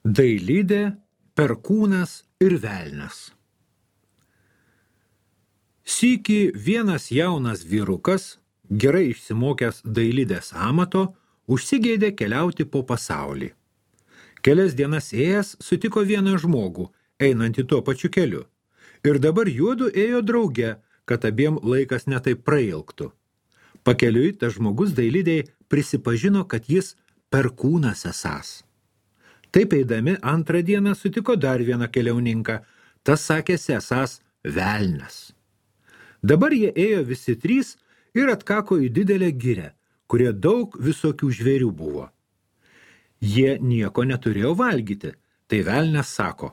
Dailidė, perkūnas ir velnias. Sykį vienas jaunas vyrukas, gerai išsimokęs dailidės amato, užsigeidė keliauti po pasaulį. Kelias dienas ėjęs sutiko vieną žmogų, einantį tuo pačiu keliu. Ir dabar juodu ėjo drauge, kad abiem laikas netaip prailgtų. Pakeliui tas žmogus dailidei prisipažino, kad jis perkūnas esąs. Taip eidami antrą dieną sutiko dar vieną keliauninką, tas sakėsi esąs velnias. Dabar jie ėjo visi trys ir atkako į didelę girią, kurie daug visokių žvėrių buvo. Jie nieko neturėjo valgyti, tai velnias sako,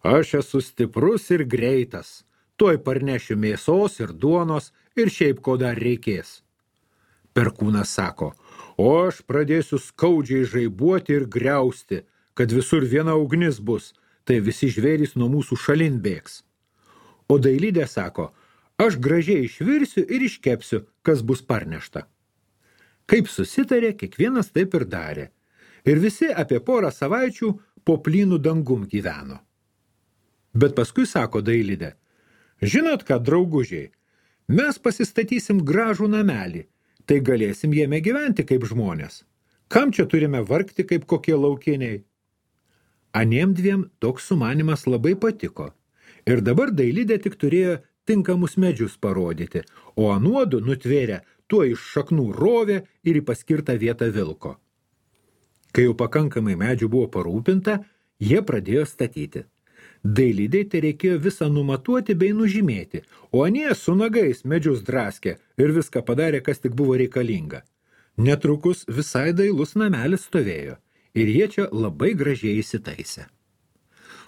aš esu stiprus ir greitas, tuoj parnešiu mėsos ir duonos ir šiaip ko dar reikės. Perkūnas sako, o aš pradėsiu skaudžiai žaibuoti ir griausti, kad visur viena ugnis bus, tai visi žvėrys nuo mūsų šalin bėgs. O dailidė sako, aš gražiai išvirsiu ir iškepsiu, kas bus parnešta. Kaip susitarė, kiekvienas taip ir darė. Ir visi apie porą savaičių po plynų dangum gyveno. Bet paskui sako dailidė, žinot ką, draugužiai, mes pasistatysim gražų namelį, tai galėsim jame gyventi kaip žmonės. Kam čia turime vargti kaip kokie laukiniai? Aniem dviem toks sumanimas labai patiko. Ir dabar dailidė tik turėjo tinkamus medžius parodyti, o anuodu nutvėrė tuo iš šaknų rovė ir į paskirtą vietą vilko. Kai jau pakankamai medžių buvo parūpinta, jie pradėjo statyti. Dailidei tai reikėjo visą numatuoti bei nužymėti, o anie su nagais medžius draskė ir viską padarė, kas tik buvo reikalinga. Netrukus visai dailus namelis stovėjo ir jie čia labai gražiai įsitaisė.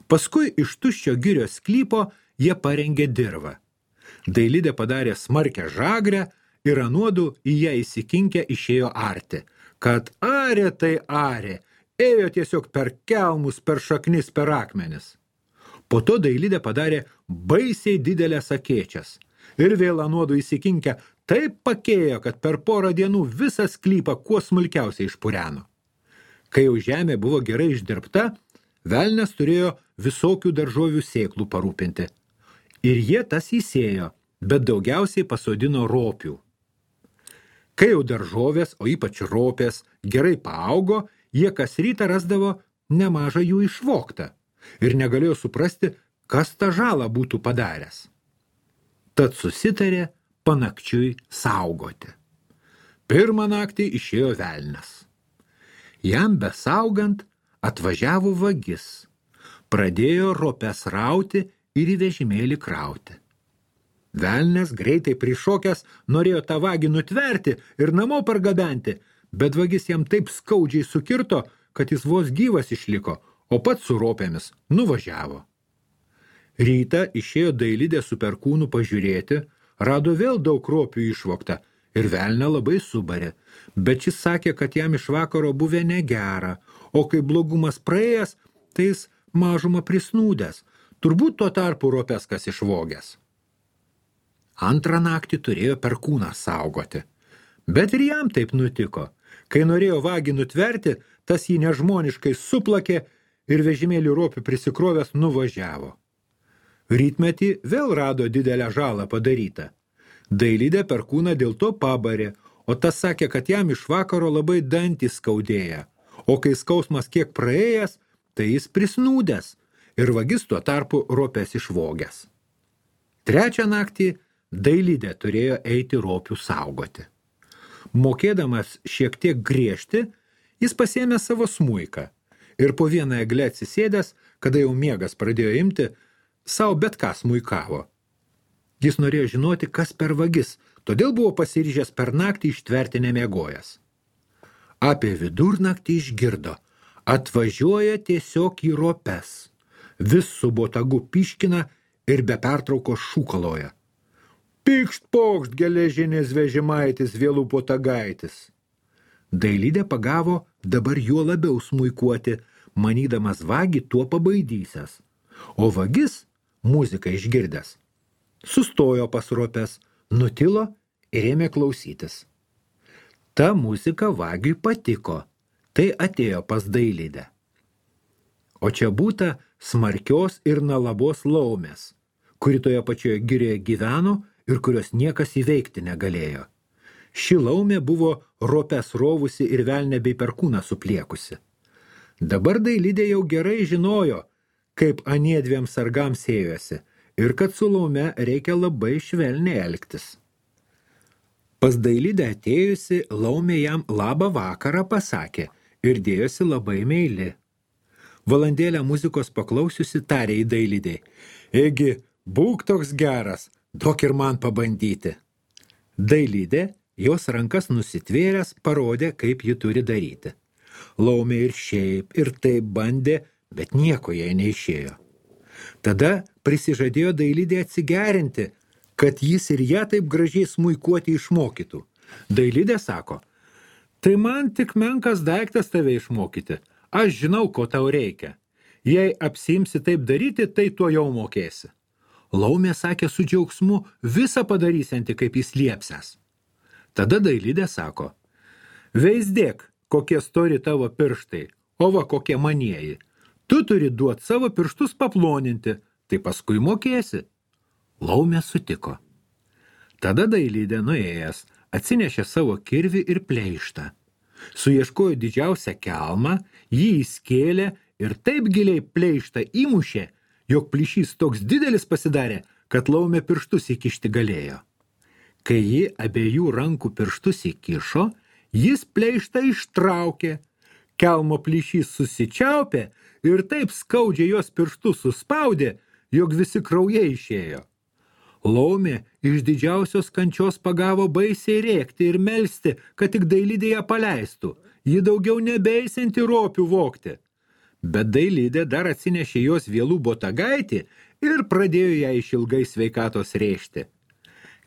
Paskui iš tuščio girios sklypo jie parengė dirvą. Dailidė padarė smarkę žagrę ir anuodu į ją įsikinkę išėjo arti, kad arė tai arė, ėjo tiesiog per kelmus, per šaknis, per akmenis. Po to dailidė padarė baisiai didelės akėčias ir vėl anuodu įsikinkę taip pakėjo, kad per porą dienų visą sklypą kuo smulkiausiai išpureno. Kai jau žemė buvo gerai išdirbta, velnias turėjo visokių daržovių sėklų parūpinti. Ir jie tas įsėjo, bet daugiausiai pasodino ropių. Kai jau daržovės, o ypač ropės, gerai paaugo, jie kas rytą rasdavo nemažą jų išvoktą ir negalėjo suprasti, kas tą žalą būtų padaręs. Tad susitarė panakčiui saugoti. Pirmą naktį išėjo velnias. Jam besaugant atvažiavo vagis, pradėjo ropes rauti ir į vežimėlį krauti. Velnias greitai prišokęs norėjo tą vagį nutverti ir namo pargabenti, bet vagis jam taip skaudžiai sukirto, kad jis vos gyvas išliko, o pats su ropėmis nuvažiavo. Rytą išėjo dailidė su perkūnu pažiūrėti, rado vėl daug ropių išvogta ir velnę labai subarė, bet šis sakė, kad jam iš vakaro buvę negera, o kai blogumas praėjęs, tai jis mažumą prisnūdęs, turbūt tuo tarpu ropes kas išvogęs. Antrą naktį turėjo perkūną saugoti, bet ir jam taip nutiko. Kai norėjo vagį nutverti, tas jį nežmoniškai suplakė ir vežimėlį ropių prisikrovęs nuvažiavo. Rytmetį vėl rado didelę žalą padarytą. Dailidė perkūną dėl to pabarė, o tas sakė, kad jam iš vakaro labai dantys skaudėja, o kai skausmas kiek praėjęs, tai jis prisnūdęs ir vagis tuo tarpu ropes išvogęs. Trečią naktį dailidė turėjo eiti ropių saugoti. Mokėdamas šiek tiek griežti, jis pasiėmė savo smuiką ir po vieną eglę atsisėdęs, kada jau miegas pradėjo imti, sau bet ką smuikavo. Jis norėjo žinoti, kas per vagis, todėl buvo pasiryžęs per naktį ištverti nemiegojęs. Apie vidurnaktį išgirdo, atvažiuoja tiesiog į ropes, vis su botagu piškina ir be pertraukos šūkaloja. Pykšt pokšt geležinis vežimaitis, vėlų botagaitis. Dailidė pagavo dabar juo labiau smuikuoti, manydamas vagį tuo pabaidysias, o vagis, muziką išgirdęs, sustojo pas ropes, nutilo ir ėmė klausytis. Ta muzika vagiui patiko, tai atėjo pas dailidę. o čia būta smarkios ir nalabos laumės, kuri toje pačioje girioje gyveno ir kurios niekas įveikti negalėjo. Ši laumė buvo ropes rovusi ir velnę bei perkūną supliekusi. Dabar Dailidė jau gerai žinojo, kaip anie dviem sargams ėjosi ir kad su laume reikia labai švelniai elgtis. Pas Dailidę atėjusi, laumė jam labą vakarą pasakė ir dėjosi labai meili. Valandėlę muzikos paklausiusi tarė į Dailidei: Egi, būk toks geras, duok ir man pabandyti. Dailidė, jos rankas nusitvėręs, parodė, kaip ji turi daryti. Laumė ir šiaip, ir taip bandė, bet nieko jai neišėjo. Tada prisižadėjo Dailidė atsigerinti, kad jis ir ją taip gražiai smuikuoti išmokytų. Dailidė sako: tai man tik menkas daiktas tave išmokyti. Aš žinau, ko tau reikia. Jei apsiimsi taip daryti, tai tuo jau mokėsi. Laumė sakė su džiaugsmu, visą padarysianti, kaip jis liepsęs. Tada Dailidė sako: veisdėk, kokie stori tavo pirštai, o va kokie manieji. Tu turi duoti savo pirštus paploninti, tai paskui mokėsi. Laumė sutiko. Tada Dailidė nuėjęs atsinešė savo kirvį ir pleištą. Suieškojo didžiausią kelmą, jį įskėlė ir taip giliai pleištą įmušė, jog plyšys toks didelis pasidarė, kad laumė pirštus įkišti galėjo. Kai ji abiejų rankų pirštus įkišo, jis pleištą ištraukė. Kelmo plyšys susičiaupė ir taip skaudžiai jos pirštus suspaudė, jog visi kraujai išėjo. Laumė iš didžiausios kančios pagavo baisiai rėkti ir melsti, kad tik Dailidė ją paleistų. Ji daugiau nebeisianti ropių vogti. Bet Dailidė dar atsinešė jos vėlų botagaitį ir pradėjo ją išilgai sveikatos rėžti.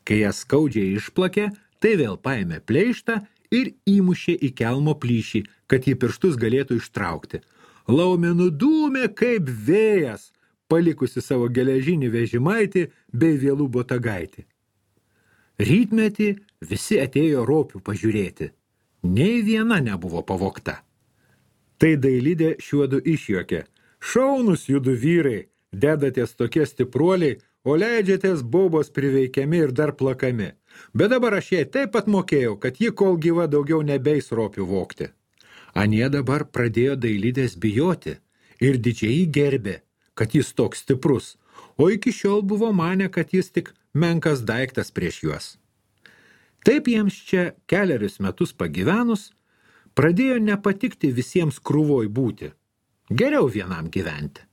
Kai ją skaudžiai išplakė, tai vėl paėmė pleištą ir įmušė į kelmo plyšį, kad ji pirštus galėtų ištraukti. Laumė nudūmė kaip vėjas, palikusi savo geležinį vežimaitį bei vėlų botagaitį. Rytmetį visi atėjo ropių pažiūrėti. Nei viena nebuvo pavogta. Tai Dailidė šiuodu išjuokė: šaunus judu vyrai, dedatės tokie stipruoliai, o leidžiatės bobos priveikiami ir dar plakami. Bet dabar aš jai taip pat mokėjau, kad ji kol gyva daugiau nebeis ropių vogti. Anie dabar pradėjo Dailidės bijoti ir didžiai gerbė, kad jis toks stiprus, o iki šiol buvo manę, kad jis tik menkas daiktas prieš juos. Taip jiems čia kelerius metus pagyvenus, pradėjo nepatikti visiems krūvoj būti. Geriau vienam gyventi.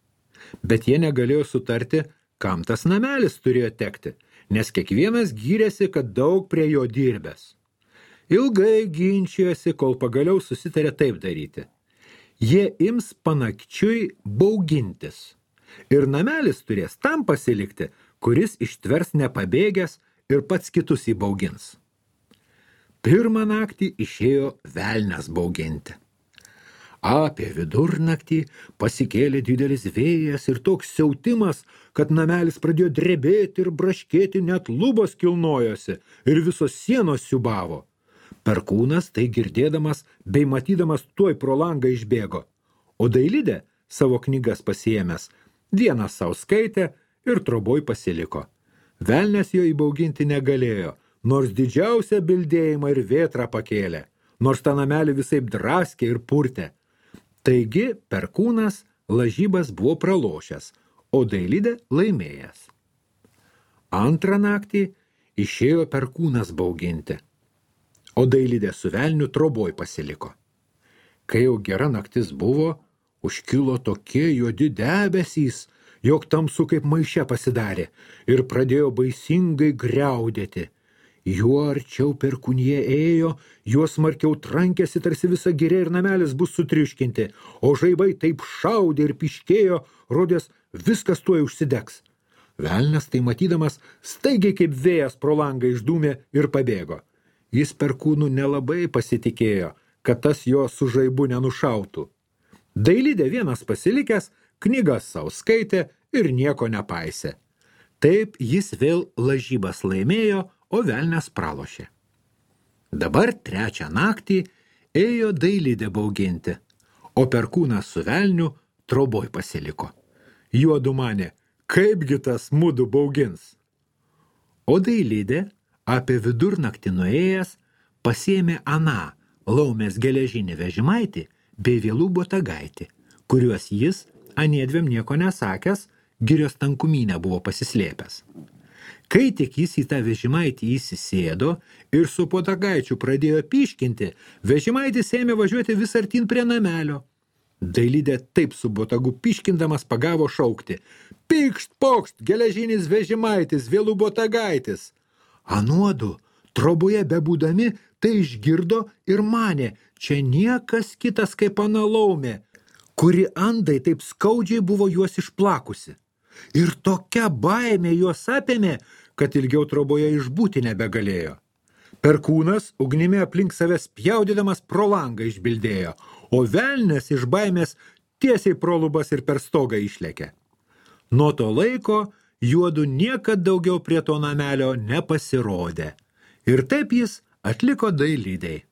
Bet jie negalėjo sutarti, kam tas namelis turėjo tekti, nes kiekvienas gyrėsi, kad daug prie jo dirbęs. Ilgai ginčijosi, kol pagaliau susitarė taip daryti. Jie ims panakčiui baugintis. Ir namelis turės tam pasilikti, kuris ištvers nepabėgęs ir pats kitus įbaugins. Pirmą naktį išėjo velnias bauginti. Apie vidurnaktį pasikėlė didelis vėjas ir toks siautimas, kad namelis pradėjo drebėti ir braškėti, net lubos kilnojosi ir visos sienos siubavo. Perkūnas tai girdėdamas bei matydamas tuoj pro langą išbėgo, o Dailidė savo knygas pasiėmęs vieną sau skaitė ir troboj pasiliko. Velnias jo įbauginti negalėjo, nors didžiausią bildėjimą ir vėtrą pakėlė, nors tą namelį visaip draskė ir purtė. Taigi Perkūnas lažybas buvo pralošęs, o Dailidė laimėjęs. Antrą naktį išėjo Perkūnas bauginti, o Dailidė su velniu troboj pasiliko. Kai jau gera naktis buvo, užkilo tokie juodi debesys, jog tamsu kaip maiše pasidarė ir pradėjo baisingai griaudėti. Juo arčiau Perkūnija ėjo, juo smarkiau trankėsi, tarsi visa giria ir namelis bus sutriuškinti, o žaibai taip šaudė ir piškėjo, rodės viskas tuoj užsidegs. Velnias tai matydamas staigiai kaip vėjas pro langą išdūmė ir pabėgo. Jis Perkūnu nelabai pasitikėjo, kad tas jo su žaibu nenušautų. Dailidė vienas pasilikęs, knygas sau skaitė ir nieko nepaisė. Taip jis vėl lažybas laimėjo, o velnias pralošė. Dabar trečią naktį ėjo Dailidė bauginti, o Perkūnas su velniu troboj pasiliko. Juodu manė, kaipgi tas mudu baugins. O Dailidė, apie vidurnaktį nuėjęs, pasiėmė aną laumės geležinį vežimaitį bei vėlų botagaitį, kuriuos jis, aniedvėm nieko nesakęs, girios tankumynę buvo pasislėpęs. Kai tik jis į tą vežimaitį įsisėdo ir su botagaičiu pradėjo pyškinti, vežimaitis ėmė važiuoti vis artin prie namelio. Dailidė taip su botagu pyškindamas pagavo šaukti: "Pykšt, pokšt, geležinis vežimaitis, vėlų botagaitis!" Anuodu, troboje bebūdami, tai išgirdo ir manė, čia niekas kitas kaip ana laumė, kuri andai taip skaudžiai buvo juos išplakusi. Ir tokia baimė juos apėmė, kad ilgiau troboje išbūti nebegalėjo. Perkūnas ugnimi aplink savęs spjaudydamas pro langą išbildėjo, o velnias iš baimės tiesiai pro lubas ir per stogą išlėkė. Nuo to laiko juodu niekad daugiau prie to namelio nepasirodė. Ir taip jis atliko Dailidei.